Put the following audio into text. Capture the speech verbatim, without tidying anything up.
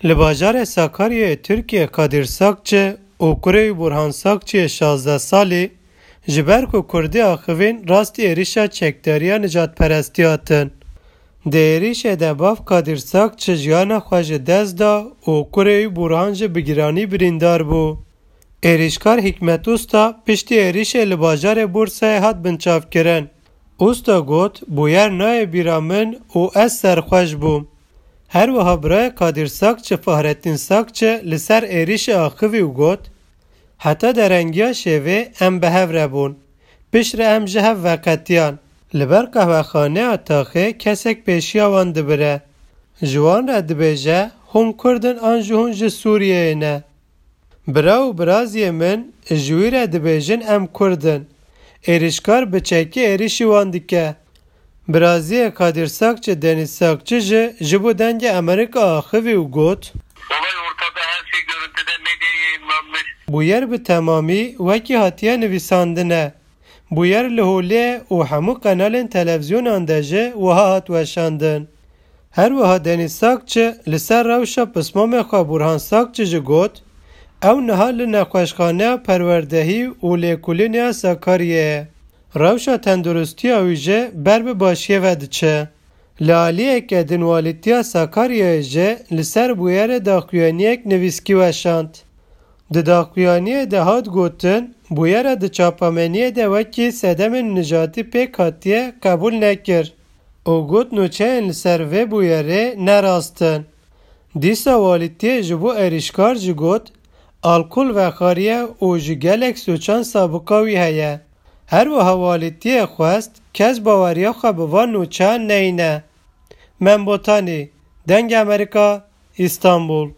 Li bajarê Sakaryayê Tirkiyê Kadir Sakçi û kurê wî Burhan Sakçiyê şazdeh salî ji ber ku Kurdî axivîn rastî êrîşa çekdariya nijadperestî hatin. Di êrîşê de bav Kadir Sakçi jiyana xwe ji dest da û kurê wî Burhan jî bi giranî birîndar bû. Êrîşkar Hikmet Usta piştî êrîşê li bajarê Bursayê hat binçavkirin. Usta got, Bûyer nayê bîra min û ez serxweş bûm. Her wiha birayê Kadir Sakçi Fahrettin Sakçi li ser êrîşê axivî û got, Heta derengiya şevê em bi hev re bûn. Piştre em ji hev veqetiyan. Li ber qehwexaneya taxê kesek pêşiya wan dibire. Ji wan re dibêje, Hûn Kurd in an jî hûn ji Sûriyeyê ne? Bira û biraziyê min ji wî re dibêjin em Kurd in. Êrîşkar bi çekî êrîşî wan dike. Biraziyê Kadir Sakçi Deniz Sakçi jî ji bo Dengê Amerîka axivî û got, Olay ortada, her şey görüntüde, medyaya yayınlanmış. Bûyer bi temamî wekî hatiye nivîsandine. Bûyer li holê û hemû qenalên televîzyonan de jî wiha hat weşandin. Her wiha Deniz Sakçi li ser rewşa pismamê xwe Burhan Sakçi jî got, Ew niha li nexweşxaneya perwerdehî û lêkolînê ya Sakaryayê ye. Rewşa tenduristiya wî jî ber bi başiyê ve diçe. Li aliyeke din Walîtiya Sakaryayê jî li ser bûyerê daxuyaniyek nivîskî weşand. Di daxuyaniyê de hat gotin, bûyera di çapemeniyê de wekî sedemên nijatî pêk hatiye qebûl nekir û got nûçeyên li ser vê bûyerê ne rast in. Dîsa Walîtiyê ji bo êrîşkar jî got, Alkol vexwariye û ji gelek sûcan sabiqa wî heye. Her wiha Walîtiyê xwest kes baweriya xwe bi van nûçeyan neyne. Mem Botanî, Dengê Amerîka, Îstanbul.